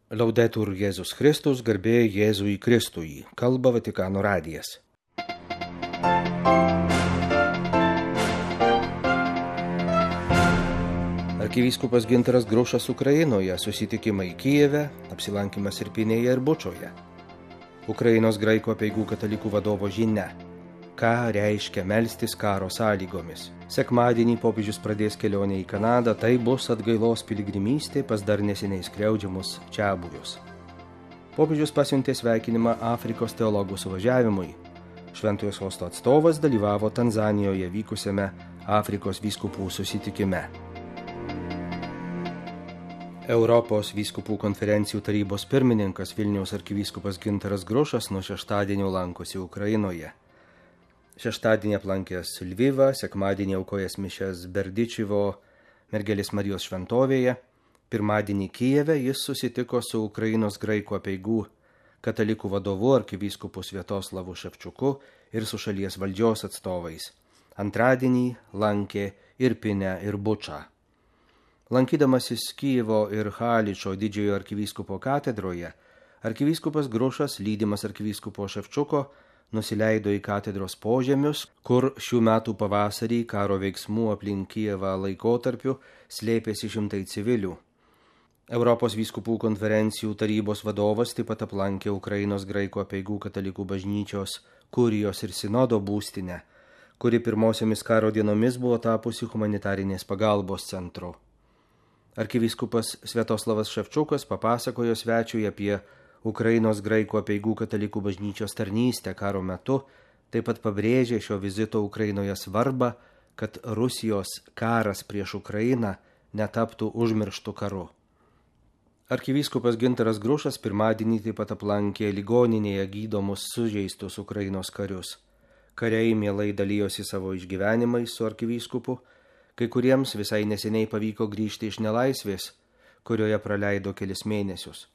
Laudetur Jėzus Kristus, garbė Jėzui Kristui, kalba Vatikano radijas. Arkivyskupas Gintaras Grušas Ukrainoje, susitikimai Kijeve, apsilankimas Irpinėje ir Bučoje. Ukrainos graikų apeigų katalikų vadovo žinia. Ką reiškia melstis karo sąlygomis? Sekmadienį popiežius pradės kelionę į Kanadą, tai bus atgailos piligrimystė pas dar neseniai skriaudžiamus čiabuvius. Popiežius pasiuntė sveikinimą Afrikos teologų suvažiavimui. Šventojo sosto atstovas dalyvavo Tanzanijoje vykusiame Afrikos vyskupų susitikime. Europos vyskupų konferencijų tarybos pirmininkas Vilniaus arkivyskupas Gintaras Grušas nuo šeštadienio lankosi Ukrainoje. Šeštadienį aplankęs Lvivą, sekmadienį aukojęs mišias Berdičivo Mergelės Marijos šventovėje, pirmadienį Kijeve jis susitiko su Ukrainos graikų apeigų katalikų vadovu arkivyskupu Sviatoslavu Ševčiuku ir su šalies valdžios atstovais. Antradienį lankė Irpinę ir Bučą. Lankydamasis Kijevo ir Haličo didžiojo arkivyskupo katedroje, arkivyskupas Grušas, lydimas arkivyskupo Ševčiuko, nusileido į katedros požemius, kur šių metų pavasarį karo veiksmų aplink Kijevą laikotarpiu slėpėsi šimtai civilių. Europos vyskupų konferencijų tarybos vadovas taip pat aplankė Ukrainos graikų apeigų katalikų bažnyčios, kurijos ir sinodo būstinę, kuri pirmosiomis karo dienomis buvo tapusi humanitarinės pagalbos centru. Arkivyskupas Sviatoslavas Ševčiukas papasakojo svečiui apie Ukrainos graikų apeigų katalikų bažnyčios tarnystę karo metu, taip pat pabrėžė šio vizito Ukrainoje svarbą, kad Rusijos karas prieš Ukrainą netaptų užmirštų karu. Arkivyskupas Gintaras Grušas pirmadienį taip pat aplankė ligoninėje gydomus sužeistus Ukrainos karius. Kariai mielai dalijosi savo išgyvenimais su arkivyskupu, kai kuriems visai neseniai pavyko grįžti iš nelaisvės, kurioje praleido kelis mėnesius.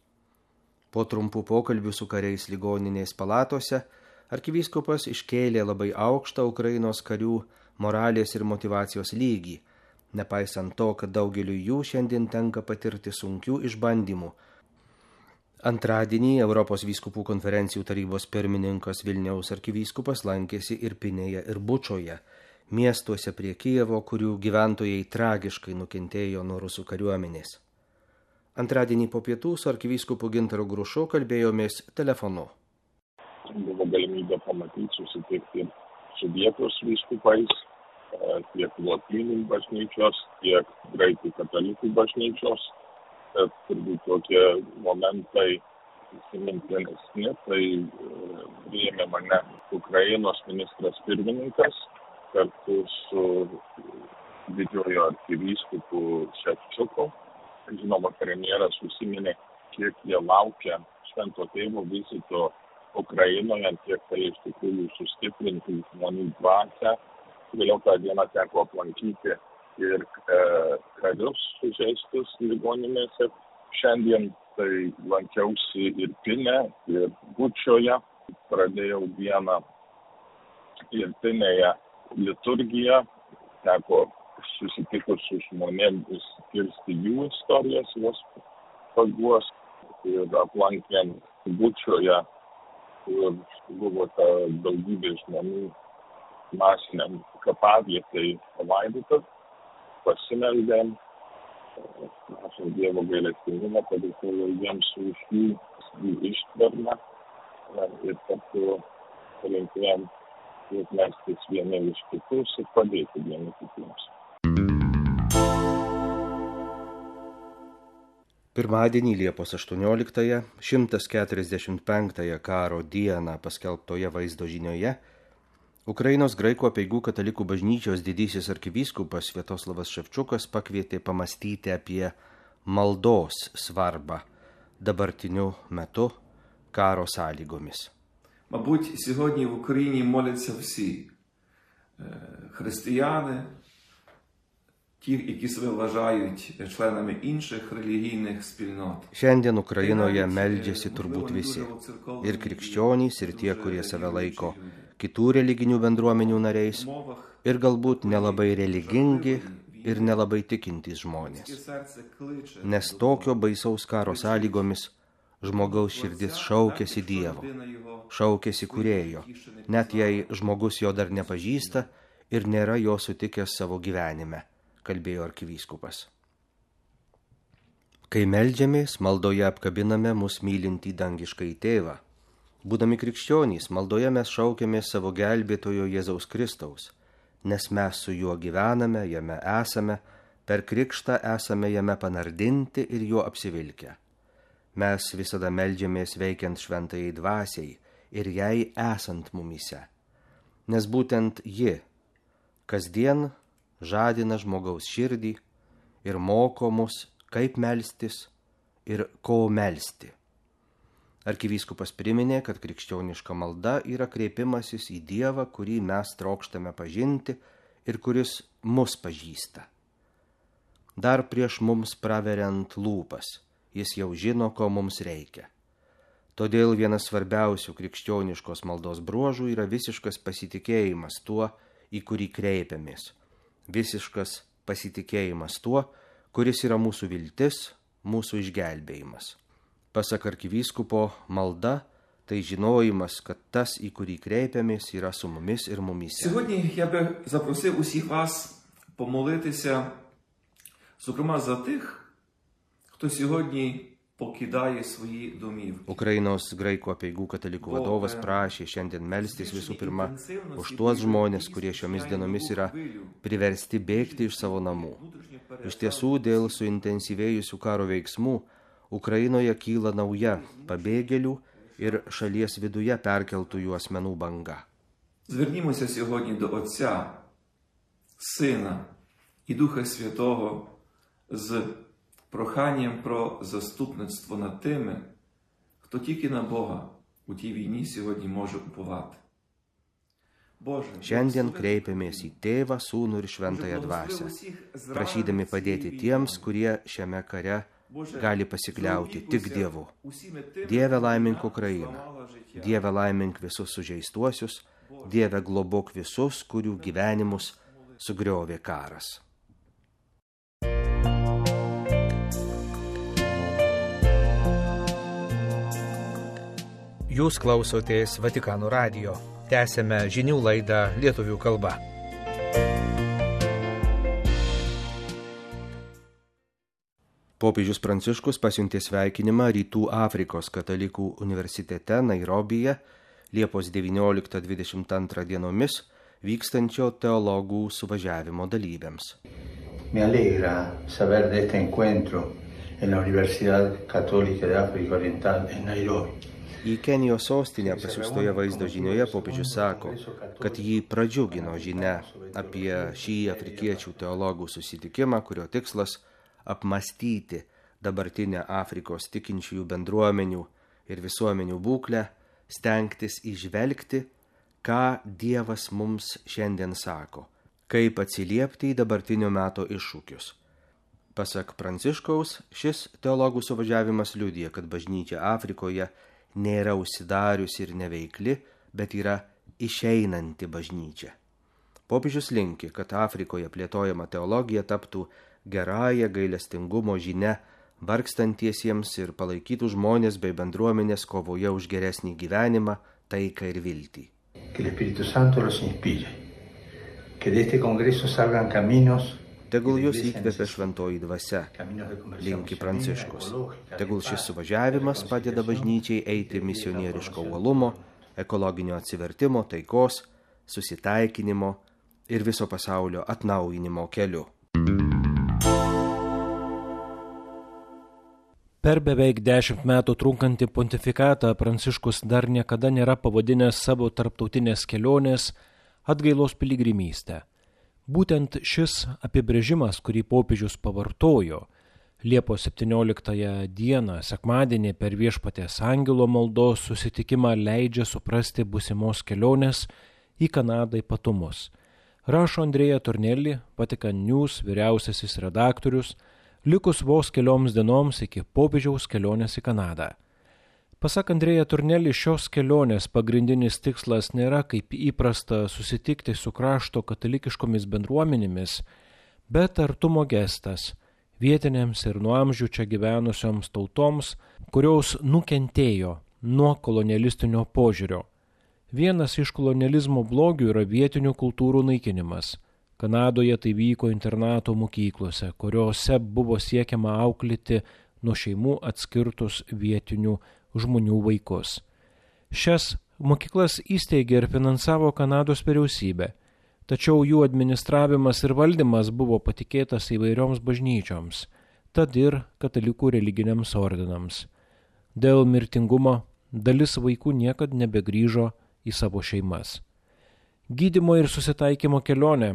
Po trumpų pokalbių su kariais ligoninės palatose, arkivyskupas iškėlė labai aukštą Ukrainos karių moralės ir motyvacijos lygį, nepaisant to, kad daugeliu jų šiandien tenka patirti sunkių išbandymų. Antradienį Europos vyskupų konferencijų tarybos pirmininkas Vilniaus arkivyskupas lankėsi Irpinėje ir Bučoje, miestuose prie Kijevo, kurių gyventojai tragiškai nukentėjo nuo rusų kariuomenės. Antradienį po pietų su arkivyskupu Gintaru Grušu kalbėjomės telefonu. Buvo galimybė pamatyti, susitikti su vietos vyskupais, tiek lotynų bažnyčios, tiek graikų katalikų bažnyčios. Turbūt tokie momentai įsimintinesni, tai priėmė mane Ukrainos ministras pirmininkas kartu su didžiojo arkivyskupu Ševčiuku. Žinoma, premjeras užsiminė, kiek jie laukia švento tėvo vizito Ukrainoje, kiek tai iš tikrųjų sustiprinti žmonių dvasią. Vėliau tą dieną teko aplankyti ir karius sužeistus ligoninėse. Šiandien tai lankiausi Irpinę ir Bučoje. Pradėjau dieną Irpinėje liturgiją, teko susitikus su žmonėmis kirsti jų istorijas, jos paguos ir aplankėm Bučoje, kur buvo ta daugybė žmonių masiniam kapavietai palaidota, pasimeldėm, prašom Dievo gailestingumą, padėkoju jiems už jų ištvermę ir kartu palinkėjom melstis vieni iš kitus ir padėti vieni kitiems. Pirmadienį Liepos 18-ąją, 145-ąją karo dieną paskelbtoje vaizdo žinioje, Ukrainos graikų apeigų katalikų bažnyčios didysis arkivyskupas Sviatoslavas Ševčiukas pakvietė pamastyti apie maldos svarbą dabartiniu metu karo sąlygomis. Мабуть, сьогодні в Україні моляться всі християни, ті, які себе вважають членами інших релігійних спільнот. Šiandien Ukrainoje meldžiasi turbūt visi, ir krikščionys, ir tie, kurie save laiko kitų religinių bendruomenių nariais, ir galbūt nelabai religingi ir nelabai tikintys žmonės. Nes tokio baisaus karo sąlygomis žmogaus širdis šaukėsi Dievo, šaukėsi Kūrėjo, net jei žmogus jo dar nepažįsta ir nėra jo sutikęs savo gyvenime, kalbėjo arkivyskupas. Kai meldžiamės, maldoje apkabiname mus mylintį dangiškąjį tėvą. Būdami krikščionys, maldoje mes šaukiamės savo gelbėtojo Jėzaus Kristaus, nes mes su juo gyvename, jame esame, per krikštą esame jame panardinti ir juo apsivilkę. Mes visada meldžiamės veikiant šventajai dvasiai ir jai esant mumyse, nes būtent ji kasdien žadina žmogaus širdį ir moko mus, kaip melstis ir ko melsti. Arkivyskupas priminė, kad krikščioniška malda yra kreipimasis į Dievą, kurį mes trokštame pažinti ir kuris mus pažįsta. Dar prieš mums praveriant lūpas, jis jau žino, ko mums reikia. Todėl vienas svarbiausių krikščioniškos maldos bruožų yra visiškas pasitikėjimas tuo, į kurį kreipiamės. Visiškas pasitikėjimas tuo, kuris yra mūsų viltis, mūsų išgelbėjimas. Pasak arkivyskupo, malda tai žinojimas, kad tas, į kurį kreipiamės, yra su mumis ir mumyse. Сьогодні я би запросив усіх вас помолитися, зокрема за тих, хто сьогодні покидає свої домівки. Ukrainos graikų apeigų katalikų vadovas prašė šiandien melstis visų pirma už tuos žmonės, kurie šiomis dienomis yra priversti bėgti iš savo namų. Iš tiesų, dėl suintensyvėjusių karo veiksmų, Ukrainoje kyla nauja pabėgėlių ir šalies viduje perkeltųjų asmenų banga. Звернімося сьогодні до Отця, Сина і Духа Святого з проханням про заступництво над тими, хто тільки на Бога у тій війні сьогодні може уповати. Šiandien kreipiamės į Tėvą, Sūnų ir Šventąją Dvasią, prašydami padėti tiems, kurie šiame kare gali pasikliauti tik Dievu. Dieve laimink Ukrainą, Dieve laimink visus sužeistuosius, Dieve globok visus, kurių gyvenimus sugriovė karas. Jūs klausotės Vatikano radijo. Tęsėme žinių laidą lietuvių kalba. Popiežius Pranciškus pasiuntė sveikinimą Rytų Afrikos katalikų universitete Nairobyje Liepos 19-22 dienomis vykstančio teologų suvažiavimo dalyviams. Me alegra saber de este encuentro en la Universidad Católica de África Oriental en Nairobi. Į Kenijos sostinę pasiųstoje vaizdo žinioje popiežius sako, kad jį pradžiugino žinia apie šį afrikiečių teologų susitikimą, kurio tikslas apmąstyti dabartinę Afrikos tikinčiųjų bendruomenių ir visuomenių būklę, stengtis įžvelgti, ką Dievas mums šiandien sako, kaip atsiliepti į dabartinio meto iššūkius. Pasak Pranciškaus, šis teologų suvažiavimas liudija, kad bažnyčia Afrikoje nėra užsidariusi ir neveikli, bet yra išeinanti bažnyčia. Popiežius linki, kad Afrikoje plėtojama teologija taptų gerąją gailestingumo žinią vargstantiesiems ir palaikytų žmonės bei bendruomenės kovoje už geresnį gyvenimą, taiką ir viltį. Que el Espíritu Santo los inspire. Que de este congreso salgan caminos. Tegul jūs įkvepia šventoji dvasia, linki Pranciškus. Tegul šis suvažiavimas padeda bažnyčiai eiti misionieriško uolumo, ekologinio atsivertimo, taikos, susitaikinimo ir viso pasaulio atnaujinimo keliu. Per beveik 10 metų trunkantį pontifikatą Pranciškus dar niekada nėra pavadinęs savo tarptautinės kelionės atgailos piligrimystę. Būtent šis apibrėžimas, kurį popiežius pavartojo Liepos 17 dieną, sekmadienį per Viešpaties angelo maldos susitikimą, leidžia suprasti būsimos kelionės į Kanadą ypatumus. Rašo Andrea Tornelli, Vatican News vyriausiasis redaktorius, likus vos kelioms dienoms iki popiežiaus kelionės į Kanadą. Pasak Andrea Tornelli, šios kelionės pagrindinis tikslas nėra kaip įprasta susitikti su krašto katalikiškomis bendruomenėmis, bet artumo gestas, vietinėms ir nuo amžių čia gyvenusioms tautoms, kurios nukentėjo nuo kolonialistinio požiūrio. Vienas iš kolonializmo blogių yra vietinių kultūrų naikinimas. Kanadoje tai vyko internato mokyklose, kuriuose buvo siekiama auklėti nuo šeimų atskirtus vietinių žmonių vaikus. Šias mokyklas įsteigė ir finansavo Kanados vyriausybė, tačiau jų administravimas ir valdymas buvo patikėtas įvairioms bažnyčioms, tad ir katalikų religiniams ordinams. Dėl mirtingumo dalis vaikų niekad nebegrįžo į savo šeimas. Gydymo ir susitaikymo kelionė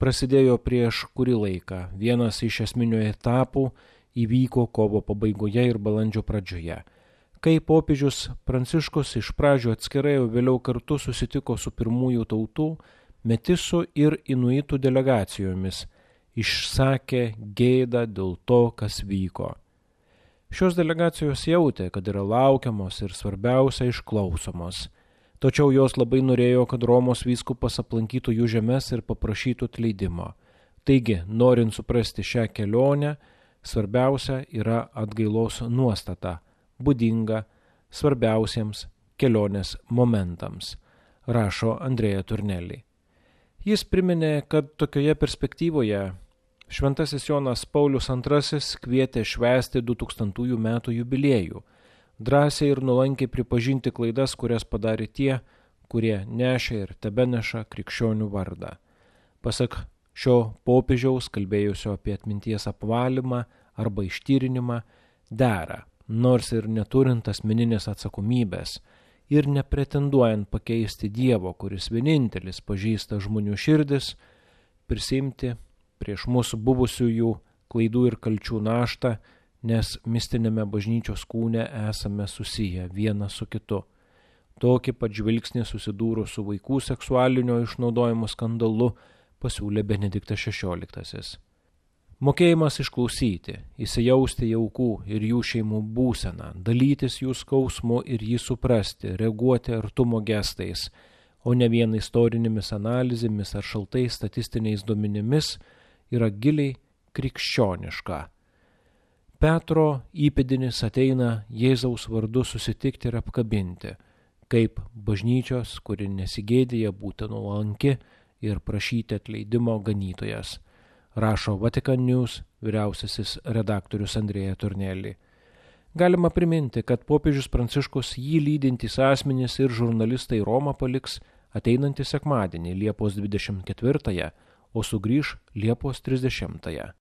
prasidėjo prieš kurį laiką. Vienas iš esminių etapų įvyko kovo pabaigoje ir balandžio pradžioje, kai popiežius Pranciškus iš pradžių atskirai, o vėliau kartu susitiko su pirmųjų tautų, metisų ir inuitų delegacijomis, išsakė gėdą dėl to, kas vyko. Šios delegacijos jautė, kad yra laukiamos ir svarbiausia išklausomos. Tačiau jos labai norėjo, kad Romos vyskupas aplankytų jų žemes ir paprašytų atleidimo. Taigi, norint suprasti šią kelionę, svarbiausia yra atgailos nuostata, būdinga svarbiausiems kelionės momentams, rašo Andrea Turnelli. Jis priminė, kad tokioje perspektyvoje Šventasis Jonas Paulius II kvietė švęsti 2000 metų jubiliejų, drąsiai ir nuolankiai pripažinti klaidas, kurias padarė tie, kurie nešė ir tebeneša krikščionių vardą. Pasak šio popiežiaus, kalbėjusio apie atminties apvalymą arba ištyrinimą, dera, nors ir neturint asmeninės atsakomybės ir nepretenduojant pakeisti Dievo, kuris vienintelis pažįsta žmonių širdis, prisiimti prieš mūsų buvusiųjų klaidų ir kalčių naštą, nes mistinėme bažnyčios kūne esame susiję vienas su kitu. Tokį pat žvilgsnį susidūrus su vaikų seksualinio išnaudojimo skandalu pasiūlė Benediktas XVI. Mokėjimas išklausyti, įsijausti į aukų ir jų šeimų būseną, dalytis jų skausmu ir jį suprasti, reaguoti artumo gestais, o ne vien istorinėmis analizėmis ar šaltais statistiniais duomenimis, yra giliai krikščioniška. Petro įpėdinis ateina Jėzaus vardu susitikti ir apkabinti, kaip bažnyčios, kuri nesigėdija būti nuolanki ir prašyti atleidimo ganytojas, rašo Vatican News vyriausiasis redaktorius Andrea Turnelli. Galima priminti, kad popiežius Pranciškus jį lydintys asmenys ir žurnalistai Romą paliks ateinantį sekmadienį Liepos 24, o sugrįž Liepos 30.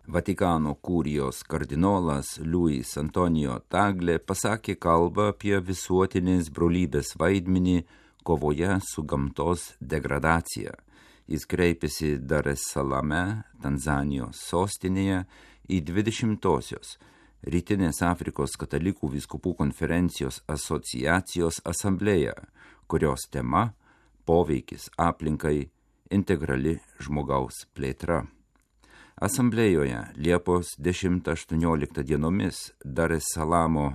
Vatikano kurijos kardinolas Luis Antonijo Tagle pasakė kalbą apie visuotinės brolybės vaidmenį kovoje su gamtos degradacija. Jis kreipėsi Dar es Salame, Tanzanijos sostinėje, į 20-osios Rytinės Afrikos katalikų vyskupų konferencijos asociacijos asamblėją, kurios tema – poveikis aplinkai, integrali žmogaus plėtra. Asamblėjoje Liepos 10-18 dienomis Dar es Salamo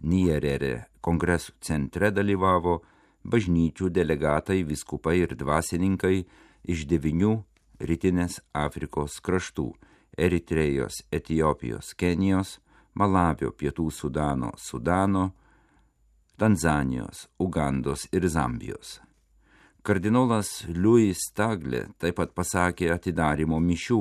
Nyerere kongresų centre dalyvavo bažnyčių delegatai, vyskupai ir dvasininkai iš 9 Rytinės Afrikos kraštų – Eritrėjos, Etiopijos, Kenijos, Malavio, Pietų Sudano, Tanzanijos, Ugandos ir Zambijos. Kardinolas Luis Tagle taip pat pasakė atidarymo mišių,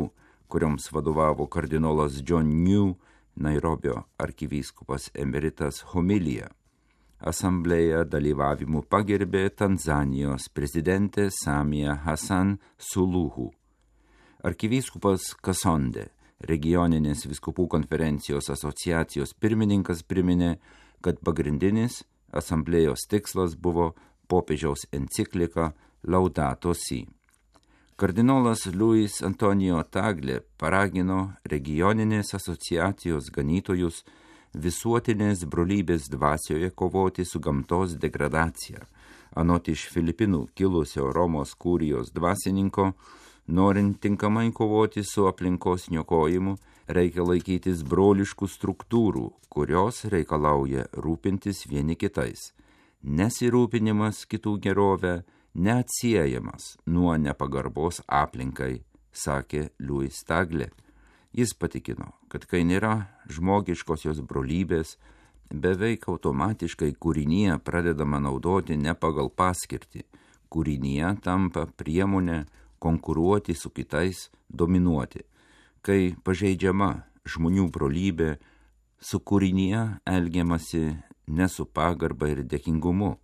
kurioms vadovavo kardinolas John New, Nairobio arkivyskupas emeritas homiliją. Asamblėje dalyvavimu pagerbė Tanzanijos prezidentė Samia Hassan Suluhu. Arkivyskupas Kasonde, regioninės vyskupų konferencijos asociacijos pirmininkas, priminė, kad pagrindinis asamblėjos tikslas buvo popiežiaus enciklika Laudato Si. Kardinolas Luis Antonijo Tagle paragino regioninės asociacijos ganytojus visuotinės brolybės dvasioje kovoti su gamtos degradacija. Anot iš Filipinų kilusio Romos kurijos dvasininko, norint tinkamai kovoti su aplinkos niokojimu, reikia laikytis broliškų struktūrų, kurios reikalauja rūpintis vieni kitais. Nesirūpinimas kitų gerovę neatsiejamas nuo nepagarbos aplinkai sakė Louis Tagle. Jis patikino, kad kai nėra žmogiškosios brolybės, beveik automatiškai kūrinyje pradedama naudoti ne pagal paskirtį. Kūrinyje tampa priemonė konkuruoti su kitais, dominuoti. Kai pažeidžiama žmonių brolybė, su kūrinyje elgiamasi ne su pagarba ir dėkingumu,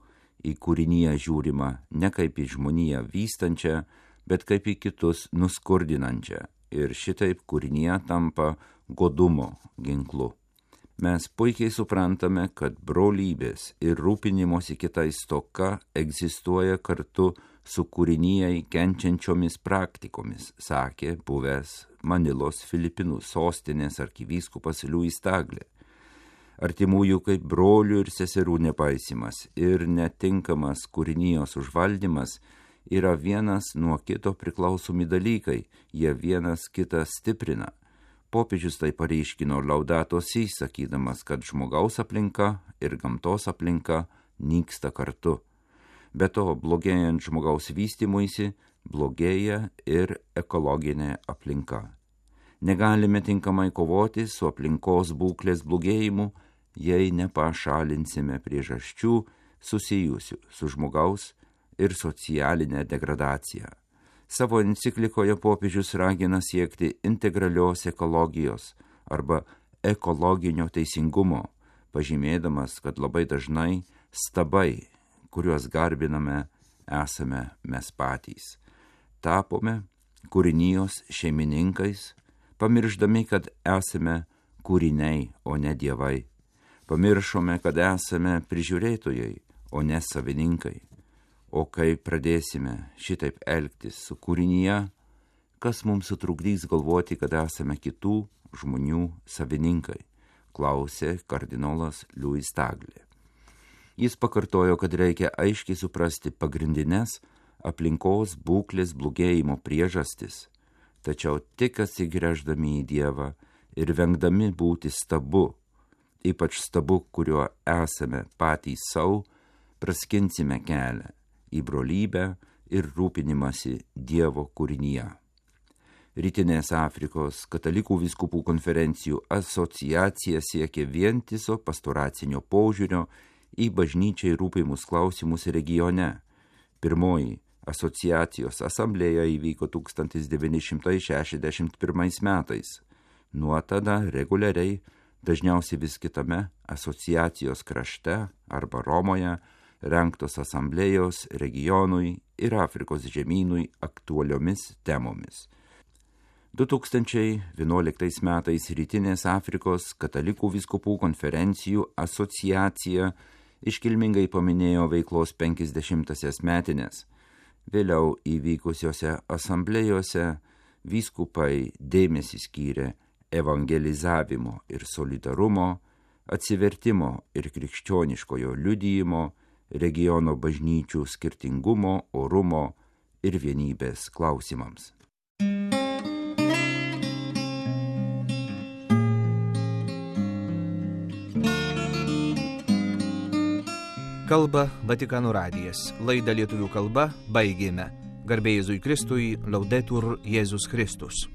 į kūrinyje žiūrima ne kaip į žmoniją vystančią, bet kaip į kitus nuskurdinančią, ir šitaip kūrinyje tampa godumo ginklu. Mes puikiai suprantame, kad brolybės ir rūpinimosi kitais stoka egzistuoja kartu su kūrinyjei kenčiančiomis praktikomis, sakė buvęs Manilos Filipinų sostinės arkivyskupas Louis Tagle. Artimųjų kaip brolių ir seserų nepaisimas ir netinkamas kūrinijos užvaldymas yra vienas nuo kito priklausomi dalykai, jie vienas kitą stiprina. Popiežius tai pareiškino Laudato Si, sakydamas, kad žmogaus aplinka ir gamtos aplinka nyksta kartu. Be to, blogėjant žmogaus vystymuisi, blogėja ir ekologinė aplinka. Negalime tinkamai kovoti su aplinkos būklės blogėjimu, jei nepašalinsime priežasčių susijusių su žmogaus ir socialinė degradacija. Savo enciklikoje popiežius ragina siekti integralios ekologijos arba ekologinio teisingumo, pažymėdamas, kad labai dažnai stabai, kuriuos garbiname, esame mes patys. Tapome kūrinijos šeimininkais, pamirždami, kad esame kūriniai, o ne dievai. Pamiršome, kad esame prižiūrėtojai, o ne savininkai. O kai pradėsime šitaip elgtis su kūrinyje, kas mums sutrukdys galvoti, kad esame kitų žmonių savininkai, klausė kardinolas Louis Tagle. Jis pakartojo, kad reikia aiškiai suprasti pagrindines aplinkos būklės blogėjimo priežastis, tačiau tik atsigręždami į Dievą ir vengdami būti stabu, ypač stabu, kuriuo esame patys savo, praskinsime kelią į brolybę ir rūpinimąsi Dievo kūrinyje. Rytinės Afrikos katalikų vyskupų konferencijų asociacija siekia vientiso pastoracinio požiūrio į bažnyčiai rūpimus klausimus regione. Pirmoji asociacijos asamblėja įvyko 1961 metais. Nuo tada reguliariai, dažniausiai vis kitame asociacijos krašte arba Romoje, rengtos asamblėjos regionui ir Afrikos žemynui aktualiomis temomis. 2011 metais Rytinės Afrikos katalikų vyskupų konferencijų asociacija iškilmingai paminėjo veiklos 50-asias metines. Vėliau įvykusiose asamblėjose vyskupai dėmesį skyrė evangelizavimo ir solidarumo, atsivertimo ir krikščioniškojo liudijimo, regiono bažnyčių skirtingumo, orumo ir vienybės klausimams. Kalba Vatikano radijas. Laidą lietuvių kalba baigėme. Garbė Jėzui Kristui, Laudetur Jėzus Kristus.